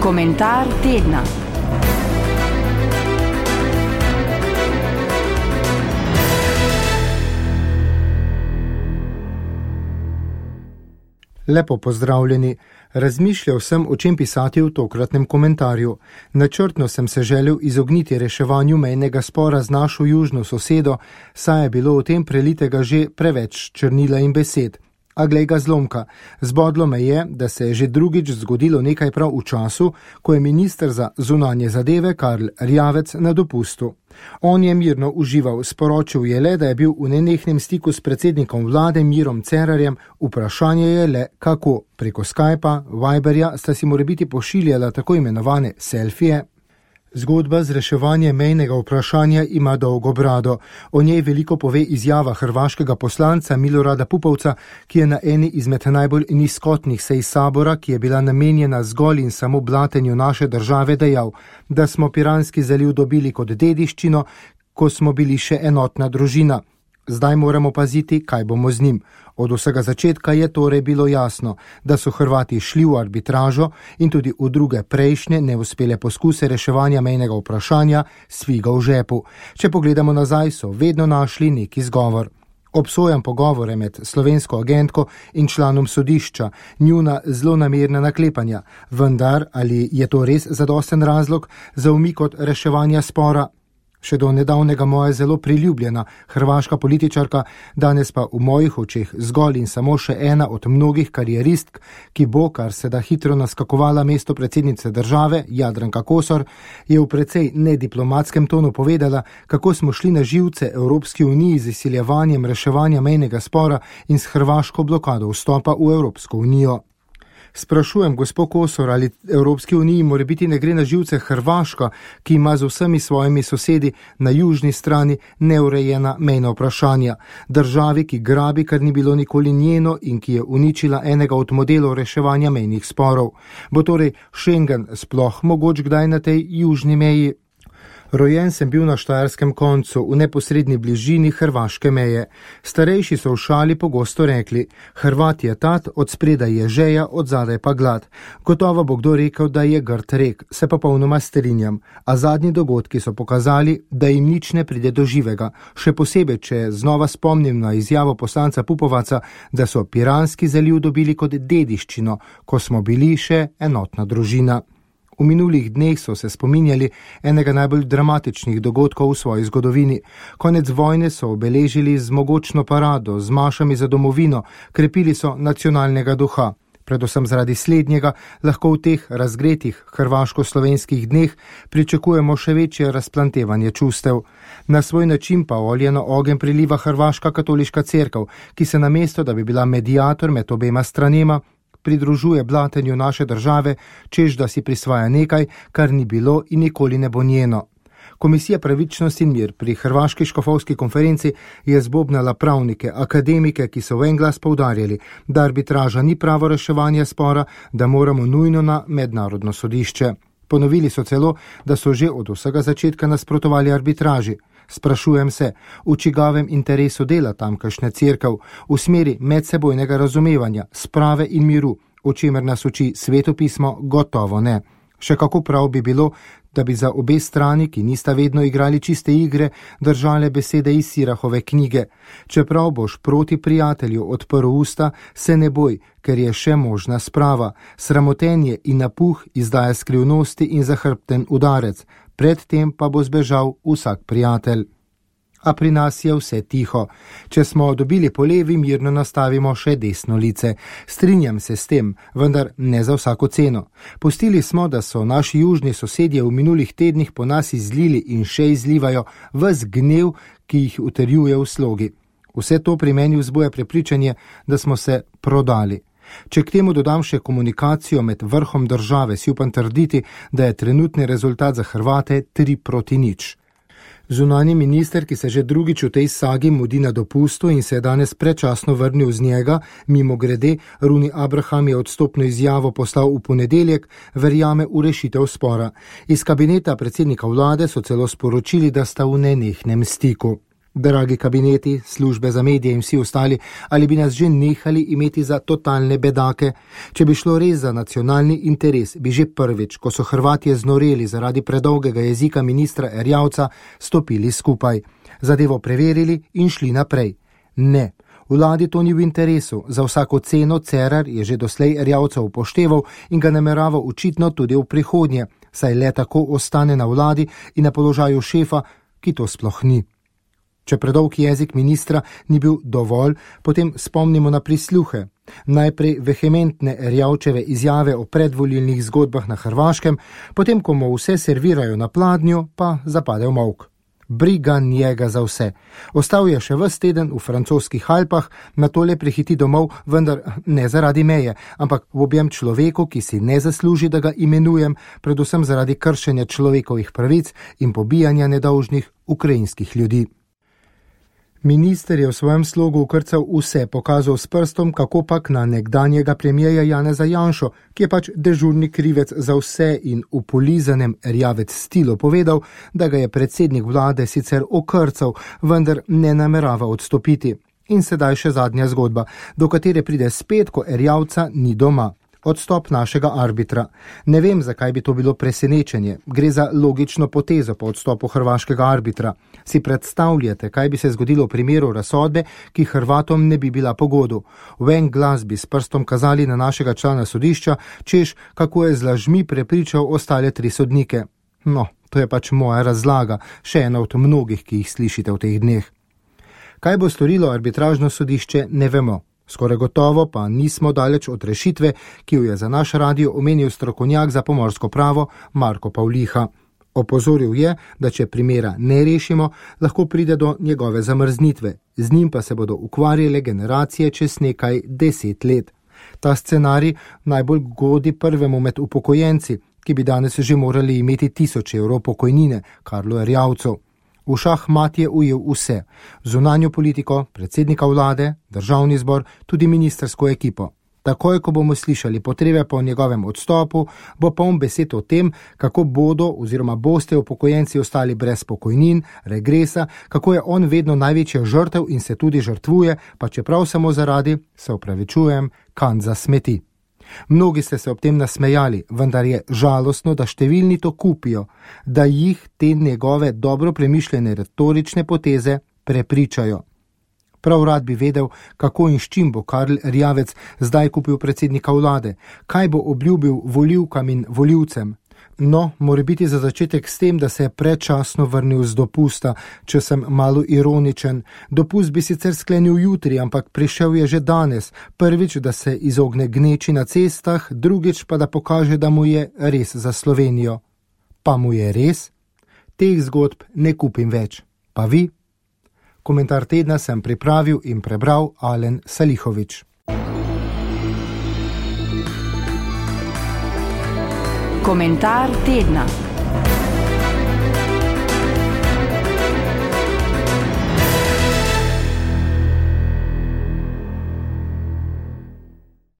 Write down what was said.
Komentar tedna. Lepo pozdravljeni. Razmišljal sem, o čem pisati v tokratnem komentarju. Načrtno sem se želel izogniti reševanju mejnega spora z našo južno sosedo, saj je bilo o tem prelitega že preveč črnila in besed. A glej ga zlomka, zbodlo me je, da se je že drugič zgodilo nekaj prav v času, ko je minister za zunanje zadeve Karl Erjavec na dopustu. On je mirno užival, sporočil je le, da je bil v nenehnem stiku s predsednikom vlade Mirom Cerarjem, vprašanje je le kako. Preko Skypa, Viberja sta si morebiti pošiljala tako imenovane selfije. Zgodba z reševanjem mejnega vprašanja ima dolgo brado. O njej veliko pove izjava hrvaškega poslanca Milorada Pupovca, ki je na eni izmed najbolj nizkotnih sej sabora, ki je bila namenjena zgolj in samo blatenju naše države, dejal, da smo Piranski zaliv dobili kot dediščino, ko smo bili še enotna družina. Zdaj moramo paziti, kaj bomo z njim. Od vsega začetka je torej bilo jasno, da so Hrvati šli v arbitražo in tudi v druge prejšnje neuspele poskuse reševanja mejnega vprašanja s figo v žepu. Če pogledamo nazaj, so vedno našli neki izgovor. Obsojam pogovore med slovensko agentko in članom sodišča, njuna zlonamerna naklepanja. Vendar, ali je to res zadosten razlog za umik od reševanja spora? Še do nedavnega moja zelo priljubljena hrvaška političarka, danes pa v mojih očeh zgolj in samo še ena od mnogih karieristk, ki bo, kar se da hitro naskakovala mesto predsednice države, Jadranka Kosor, je v precej nediplomatskem tonu povedala, kako smo šli na živce Evropski uniji z izsiljevanjem reševanja mejnega spora in s hrvaško blokado vstopa v Evropsko unijo. Sprašujem gospod Kosor, ali Evropski uniji morebiti ne gre na živce Hrvaška, ki ima z vsemi svojimi sosedi na južni strani neurejena mejna vprašanja. Državi, ki grabi, kar ni bilo nikoli njeno in ki je uničila enega od modelov reševanja mejnih sporov. Bo torej Schengen sploh mogoč kdaj na tej južni meji? Rojen sem bil na štajerskem koncu, v neposredni bližini hrvaške meje. Starejši so v šali pogosto rekli, Hrvat je tat, od spredaj je žeja, od zadaj pa glad. Gotovo bo kdo rekel, da je grd rek, se pa popolnoma strinjam. A zadnji dogodki so pokazali, da jim nič ne pride do živega. Še posebej, če znova spomnim na izjavo poslanca Pupovaca, da so Piranski zaliv dobili kot dediščino, ko smo bili še enotna družina. V minulih dneh so se spominjali enega najbolj dramatičnih dogodkov v svoji zgodovini. Konec vojne so obeležili z mogočno parado, z mašami za domovino, krepili so nacionalnega duha. Predvsem zaradi slednjega lahko v teh razgretih hrvaško-slovenskih dneh pričakujemo še večje razplantevanje čustev. Na svoj način pa olje na ogenj priliva hrvaška katoliška cerkev, ki se namesto, da bi bila mediator med obema stranema, pridružuje blatenju naše države, čež da si prisvaja nekaj, kar ni bilo in nikoli ne bo njeno. Komisija Pravičnost in mir pri Hrvaški škofovski konferenci je zbobnala pravnike, akademike, ki so v en glas poudarjali, da arbitraža ni pravo reševanje spora, da moramo nujno na mednarodno sodišče. Ponovili so celo, da so že od vsega začetka nasprotovali arbitraži. Sprašujem se, v čigavem interesu dela tamkajšnja cerkev, v smeri medsebojnega razumevanja, sprave in miru, o čemer nas uči svetopismo, gotovo ne. Še kako prav bi bilo, da bi za obe strani, ki nista vedno igrali čiste igre, držale besede iz Sirahove knjige. Čeprav boš proti prijatelju odprl usta, se ne boj, ker je še možna sprava. Sramotenje in napuh izdaja skrivnosti in zahrbten udarec. Predtem pa bo zbežal vsak prijatelj. A pri nas je vse tiho. Če smo dobili po levi, mirno nastavimo še desno lice. Strinjam se s tem, vendar ne za vsako ceno. Pustili smo, da so naši južni sosedje v minulih tednih po nas izlili in še izlivajo ves gnev, ki jih utrjuje v slogi. Vse to pri meni vzbuja prepričanje, da smo se prodali. Če k temu dodam še komunikacijo med vrhom države, si upam trditi, da je trenutni rezultat za Hrvate 3-0. Zunanji minister, ki se že drugič v tej sagi mudi na dopustu in se je danes predčasno vrnil z njega, mimogrede, Runi Abraham je odstopno izjavo poslal v ponedeljek, verjame v rešitev spora. Iz kabineta predsednika vlade so celo sporočili, da sta v nenehnem stiku. Dragi kabineti, službe za medije in vsi ostali, ali bi nas že nehali imeti za totalne bedake? Če bi šlo res za nacionalni interes, bi že prvič, ko so Hrvatje znoreli zaradi predolgega jezika ministra Erjavca, stopili skupaj, zadevo preverili in šli naprej. Ne, vladi to ni v interesu, za vsako ceno Cerar je že doslej Erjavca upošteval in ga namerava očitno tudi v prihodnje, saj le tako ostane na vladi in na položaju šefa, ki to sploh ni. Če predolg jezik ministra ni bil dovolj, potem spomnimo na prisluhe. Najprej vehementne Erjavčeve izjave o predvolilnih zgodbah na Hrvaškem, potem, ko mu vse servirajo na pladnju, pa zapade v molk. Briga njega za vse. Ostal je še ves teden v francoskih Alpah, nato le prihiti domov, vendar ne zaradi meje, ampak v objem človeku, ki si ne zasluži, da ga imenujem, predvsem zaradi kršenja človekovih pravic in pobijanja nedolžnih ukrajinskih ljudi. Minister je v svojem slogu ukrcal vse, pokazal s prstom, kako pak na nekdanjega premierja Janeza Janšo, ki je pač dežurni krivec za vse in v polizanem Erjavec stilu povedal, da ga je predsednik vlade sicer okrcal, vendar ne namerava odstopiti. In sedaj še zadnja zgodba, do katere pride spet, ko Erjavca ni doma. Odstop našega arbitra. Ne vem, zakaj bi to bilo presenečenje. Gre za logično potezo po odstopu hrvaškega arbitra. Si predstavljate, kaj bi se zgodilo v primeru razsodbe, ki Hrvatom ne bi bila po godu. V en glas bi s prstom kazali na našega člana sodišča, češ, kako je z lažmi prepričal ostale 3 sodnike. No, to je pač moja razlaga, še ena od mnogih, ki jih slišite v teh dneh. Kaj bo storilo arbitražno sodišče, ne vemo. Skoraj gotovo pa nismo daleč od rešitve, ki jo je za naš radio omenil strokovnjak za pomorsko pravo Marko Pavliha. Opozoril je, da če primera ne rešimo, lahko pride do njegove zamrznitve, z njim pa se bodo ukvarjale generacije čez nekaj 10 let. Ta scenarij najbolj godi prvemu med upokojenci, ki bi danes že morali imeti 1000 evrov pokojnine, Karlu Erjavcu. V šahmat je ujel vse, zunanjo politiko, predsednika vlade, državni zbor, tudi ministersko ekipo. Takoj, ko bomo slišali potrebe po njegovem odstopu, bo poln besed o tem, kako bodo oziroma boste upokojenci ostali brez pokojnin, regresa, kako je on vedno največja žrtev in se tudi žrtvuje, pa čeprav samo zaradi, se opravičujem, kanca smeti. Mnogi ste se ob tem nasmejali, vendar je žalostno, da številni to kupijo, da jih te njegove dobro premišljene retorične poteze prepričajo. Prav rad bi vedel, kako in s čim bo Karl Erjavec zdaj kupil predsednika vlade, kaj bo obljubil volivkam in volivcem. No, mora biti za začetek s tem, da se je predčasno vrnil z dopusta, če sem malo ironičen. Dopust bi sicer sklenil jutri, ampak prišel je že danes. Prvič, da se izogne gneči na cestah, drugič pa da pokaže, da mu je res za Slovenijo. Pa mu je res? Teh zgodb ne kupim več. Pa vi? Komentar tedna sem pripravil in prebral Alen Salihović. Komentar tedna.